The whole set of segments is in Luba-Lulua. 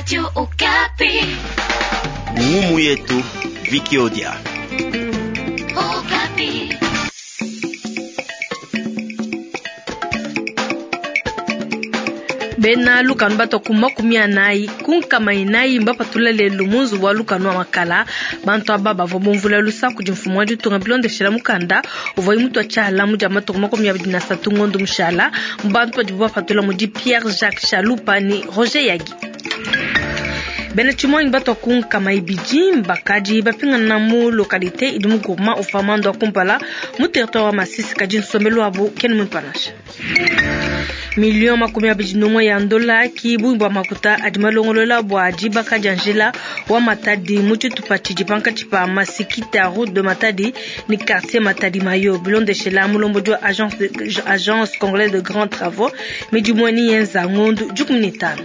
Radio Okapi. Ngumu yetu Vikiodia. Okapi. Bena lukanu batua ku 40 ku 40 mbapatula lelu mu nzubu wa lukanu wa makala. Bantu aba bavua bumvula lusa kudi mfumu wa ditunga bilondeshela mukanda uvuaye mutua tshiala mu dia matuku 23 ngondo mushala. Mu bantu badibu bapatula mudi Pierre Jacques Chalupa ne Roger Yagi. Bena tshimuangi batua ku 200 mbakadi bapingana mu localité idi mu groupement uvua mando wa kumpala mu territoire wa Masisi, kadi nsombelu wabu kena muimpe nansha. Million 21 ya ndola ki bungi bua makuta adi malongolola bua dibaka dia njila wa Matadi mu tshitupa tshidi pankatshi pa Masikita route de Matadi ne quartier Matadi Mayo, bilondeshela mulombodi wa agence congolaise de grands travaux midimu eni yenza ngondu 15.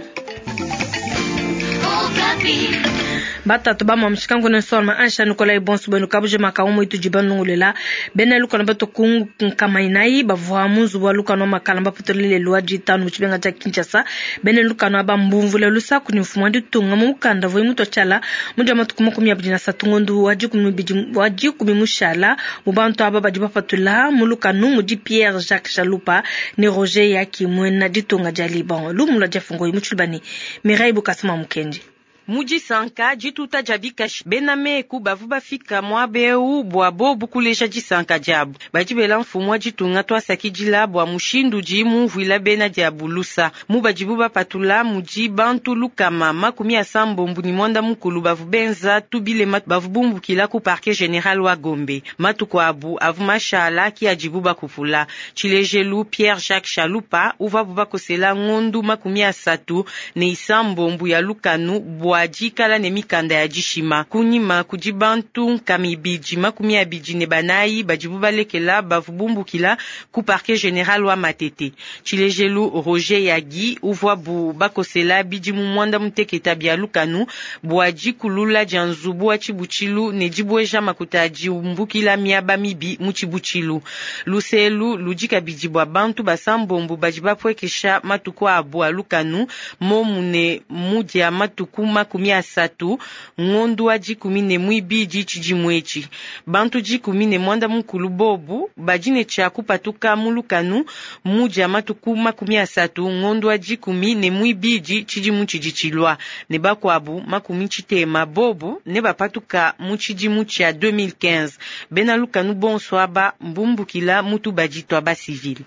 Batatu ba mwa ne nsoma ansha Nikolai Bonso bwenu kabuje maka umu itu jibanungulela bena lukano bato ku 40 bavua mu nzubu wa lukano makala mbaputulile lwa ditanu mu tshimenga tshia Kinshasa. Bena lukano aba mbumvule lusaku ni mfumu wa ditunga mu mukanda voi mutu tshiala mu dia matuku 23 ngondu wa 10 mushala. Mu bantu aba badi bapatula mu lukano mudi Pierre Jacques Chalupa ne Roger Yaki mwena ditunga dia Liban lumu lwa diafungo mu tshilubani Mireille Bukasama Mukendi. Mudisanka dituta dia bikashi bena meku bavu bafika muaba bua bobu kuleja disanka diabu. Badi bela mfumu wa ditunga tuasakidila bua mushindu udi mumvuila bena diabu lusa. Mu badibu bapatula mudi bantu 689 bavu benza tubilema bavu bumbukila ku parquet general wa Gombe. Matuku abu avu mashala ki adibu bakupula. Tshilejelu Pierre Jacques Chalupa uvabu bakosela ngondu 36 ya lukanu bua dikala ne mikanda ya dishima. Kunyima kudi bantu 224 badibu balekela bavu bumbukila ku parquet general wa Matete. Tshilejelu Roger Yagi uvabu bakosela bidimu 96 bia lukanu bua dikulula dia nzubu wa tshibutshilu ne dibweja makuta adi umbukila miaba mibi mu tshibutshilu. Luselu ludi kabidi bua bantu basambombo badi bapwekesha matuku abu a lukanu momune mudia matuku 30 ngondu wa 12 tshidimu etshi. Bantu 19 bobu badi ne tshia kupatuka mu lukanu mudia matuku 30 ngondu wa 12 tshidimu tshidi tshilua, ne bakuabu 60 bobu ne bapatuka mu tshidimu tshia 2015. Bena lukanu bonso aba mbumbukila mutu badi twa ba civil.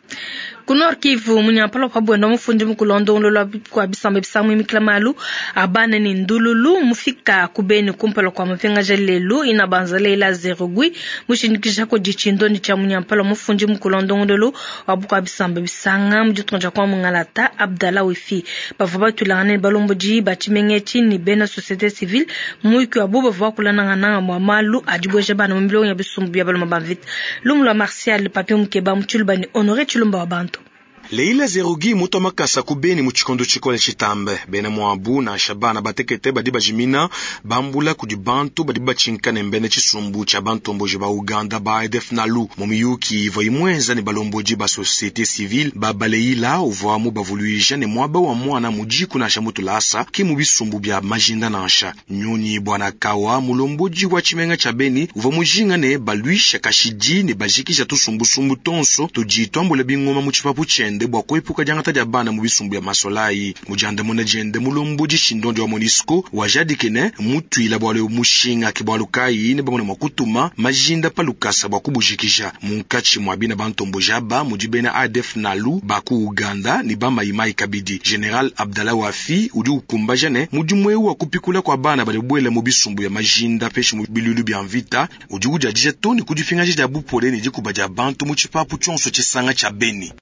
Ku Nord Kivu munyampala wa bwenda mufundi mukulondongolo kwa bisamba bisamwe mikila malu abana ni ndululu mufika kubeni kumpala kwa mapinga lelu ina banzala ila zerogui mushindikisha ko dichindo ni cha munyampala mufundi mukulondongolo wa bukwa bisamba bisanga muditonja kwa mungalata Abdallah Wifi bavua batulangana ne balomboji ba tshimenga ni bena société civile muyuki wa bo bavua bakulanangana mwa malu adibweja bana mu milongo ya bisumbu bya baloma ba mvita. Lumu lwa Martial Papi Mukeba mu Tshiluba ni Honoré Tshilumba wa bantu. Leila Zerugi mutu makasa kubeni mu tshikondo tshikole tshitambe bena mwabu na shabana batekete badi bajimina bambula kudi bantu badi batshinkane mbene tshisumbu tshia bantomboji ba Uganda ba ADF Nalu mu miyuki ivua imwenza ne balomboji ba société civile ba baleila uvua mu bavuluija ne mwaba wa mwana mujiku nansha mutulasa ki mu bisumbu bya majinda nansha nyonyi bwana kawa mulomboji wa tshimenga tshia Beni uvua mujinga ne balwisha kashidi ne bajikisha tusumbusumbu tonso tudi twambula bingoma mu tshipapu tshiende bua kuepuka diangata dia bana mu bisumbu ya masolayi. Mujandamuna diende mulombodi shindondi wa MONUSCO wajadikene mutuila bwalo mushinga ke bwalo kayi ne bamona mwa kutuma majinda pa lukasa bua kubujikija munkatshi mwa bina bantomboji aba mudi bena ADF Nalu ba ku Uganda ne ba Maimai kabidi. General Abdallah Wafi udi ukumbaja ne mudimu eu wa kupikula kwa bana badi bwela mu bisumbu ya majinda peshi mu bilulu bya mvita udi ujadija toni kudipingaja dia bupole ne dikuba dia bantu mu tshipapu tshionso tshisanga tsha Beni.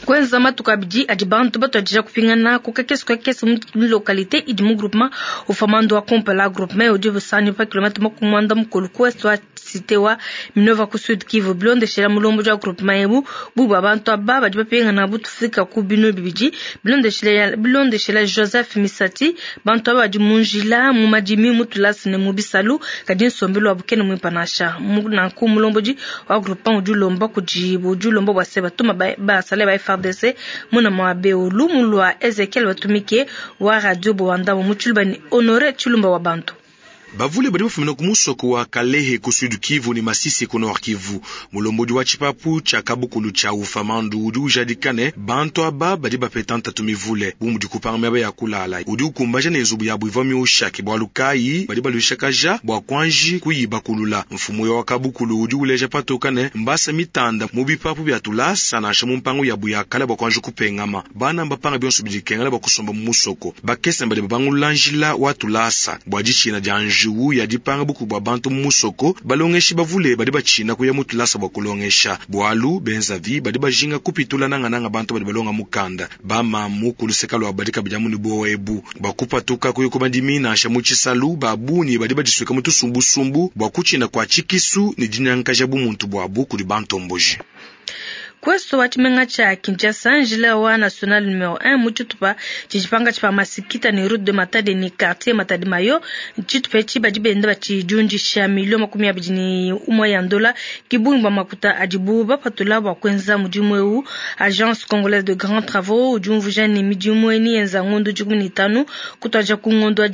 Kwenza matuku abidi adi bantu batuadija kupingana ku kakese kakese mu localité idi mu groupement ufamando wa kumpala. Groupement udi busani pa kilomètre 90 ku ouest wa cité wa Minova ku Sud Kivu. Bilondeshela mulomboji wa groupement ebu bubu bantu aba badi bapingana butufika ku binu bibidi. Bilondeshela Joseph Misati bantu aba badi mu njila mu madimi mu tulasi ne mu bisalu kadi nsombelu wa bukene muimpe nansha. Nanku mulomboji wa groupement udi ulomba kudi udi ulomba bua se batuma basale ba FARDC muna muaba eu. Lumu lua Ezekiel Batumike wa Radio Bowandabo mu Tshiluba ne Honore Tshilumba wa bantu. Bavule badi bafumina ku musoko wa Kalehe ku Sud Kivu ne Masisi ku Nord Kivu. Mulombodi wa tshipapu tshia kabukulu tshia Ufamandu udi ujadika ne, bantu aba badi bapeta ntatu mivule bu mudi kupanga miaba ya kulala. Udi ukumbaja ne nzubu yabu ivua miosha, ke bualu kayi badi baluishakaja bua kuanji kuyibakulula. Mfumu wa kabukulu udi uleja patoka ne, mbasa mitanda mu bipapu bia tulasa nansha mu mpangu yabu ya kale bua kuanji kupengama. Bana mbapanga bionso bidi bikengela bua kusomba mu musoko. Bakese badi babangulula njila wa tulasa bua ditshina dia njiwu ya dipanga bukubi bua bantu mu musoko. Balongeshi bavule badi batshina kuya mu tulasa bua kulongesha, bualu benzavi badi bajinga kupitula nangananga bantu badi balonga mukanda. Bamamu ku luseka luabu badi kabidi amu ne buowa ebu bua kupatuka kuya ku madimi nansha mu tshisalu. Ba bungi badi badisuika mu tusumbusumbu bua kutshina kua tshikisu ne dinyankaja bumuntu buabu kudi bantomboji. Ku ouest wa tshimenga tshia Kinshasa, njila wa national numero 1 mu tshitupa tshidi pankatshi pa Masikita ne route de Matadi ne quartier Matadi Mayo. Tshitupa etshi badi benda batshidiundisha milio 21 ya ndola ki bungi bua makuta adibu bapatula bua kuenza mudimu eu. Agence Congolaise de Grands Travaux udi umvuija ne midimu eyi yenza ngondo 15 kutuadija ku ngondo wa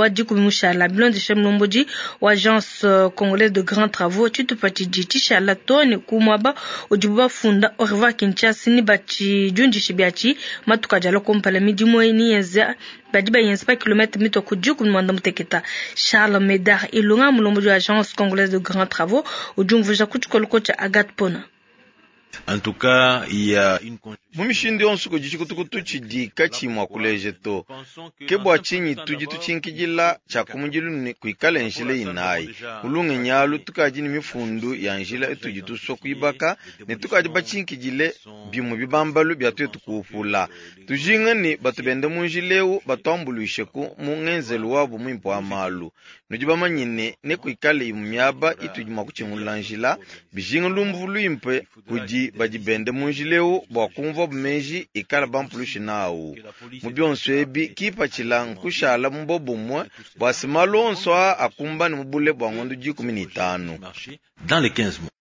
10 mushala. Bilondeshe mulombodi wa Agence Congolaise de Grands Travaux, tshitupa tshidi tshishala too ne ku muaba udibu bafunda au revoir Kinshasa ni batshidiundishe biatshi matuku adi alua kumpala. Midimu eyi niyenza badi bayenza pa kilomètre mitue ku 16. Charles Medard Ilunga, mulombodi wa Agence Congolaise de Grands Travaux, udi umvuija ku tshikoloko tshia Agathe Pona. En tout cas, il y a une Mu mishindu yonso kudi tshikutukutu tshidi katshi mua kuleja to. Ke bua tshinyi tudi tutshinkidila tshia kumudilu ne kuikale njila inayi. Mu alu tukadi ne mifundu ya njila itudi tusua kuibaka ne tukadi batshinkidile bimue bibambalu bia tuetu kuupula. Tujinga ne batu bende mu njila eu batuambuluisheku mu ngenzelu wabu muimpe wa malu. Nudi bamanye ne nekuikale imue miaba itudi mua kutshingulula njila, bijinga lumvu luimpe kudi badi bende mu njila eu bua kumvua meji ikala bampulushi nawu. Mu bionso ebi kipatshila nkushala mu bobumue bua se malu onso aa akumbane mu bule bua ngondo 15. Dans les 15 mois.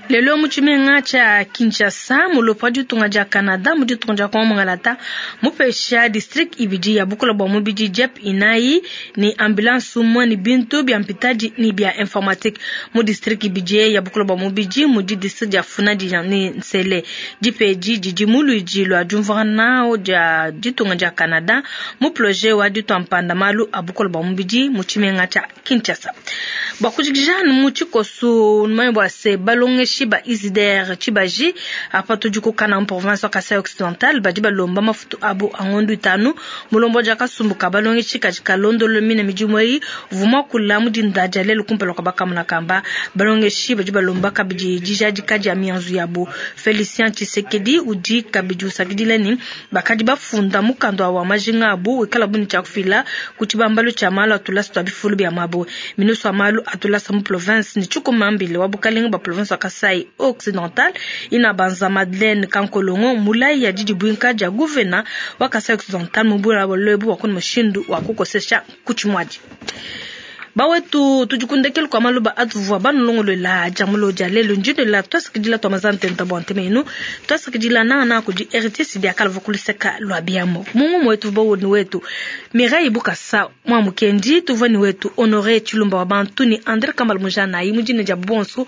Lelo mu tshimenga tshia Kinshasa, mulopo wa ditunga dia Canada mu ditunga dia Kongo Mongalata mupesha district ibidi ya bukola bua mubidi jeep inayi ne ambulance umue ne bintu bia mpitadi ne bia informatique mu district ibidi ya bukola bua mubidi mudi district dia Funadi ne Nsele. Dipedi didi mu luidi lua diumvuangana dia ditunga dia Canada mu projet wa ditua mpanda malu a bukola bua mubidi mu tshimenga tshia Kinshasa. Bua kujikija mu tshikoso numanye bua se balongeshi ba Isidere Tshibaji apa tudi ku Kananga province wa Kasai Occidental badi balomba mafutu abu a ngondo itanu. Mulombo dia kasumbu ka balongeshi kadi kalondolola mine midimu eyi uvua muakula mu dinda dia lelu kumpala kua bakamuna kamba. Balongeshi badi balomba kabidi dijadika dia mianzu yabu. Felicien Tshisekedi udi kabidi usakidila ne bakadi bafunda mukanda wa majinga abu wikala bu ne tshia kufila ku tshibambalu tshia malu atulasa tua bifulu bia mabue. Ministre wa malu atulasa mu province ne tshikumambile wa bukalenge bua province wa Kasai Occidental ina banza Madeleine Kankolongo mulayi ya didibuinka dia gouverneur wa Kasai Occidental mu bula bolobu wa kuna mushindu wa kukosesha kuchimwadi. Bawetu tudikundekele kwa maluba atuvua banulongolola jamulo dia lelo njindela twasakidila twa mazantenta bua ntema twasakidila nana kudi RTS dia kalava kuluseka lwa biamo mungu mwetu bawoni wetu Mireille Bukasa mwa mukendi tuvua ni wetu Honoré Tshilumba wa bantu ni André Kambal Mujana yi mujine dia bonso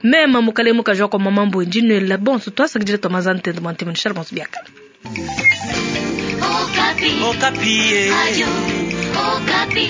mema mukale mukajwa kwa mama mbo njindela bonso twasakidila twa mazantenta bua ntema shala bonso biakala. Okapi. Okapi. Ayo, Okapi.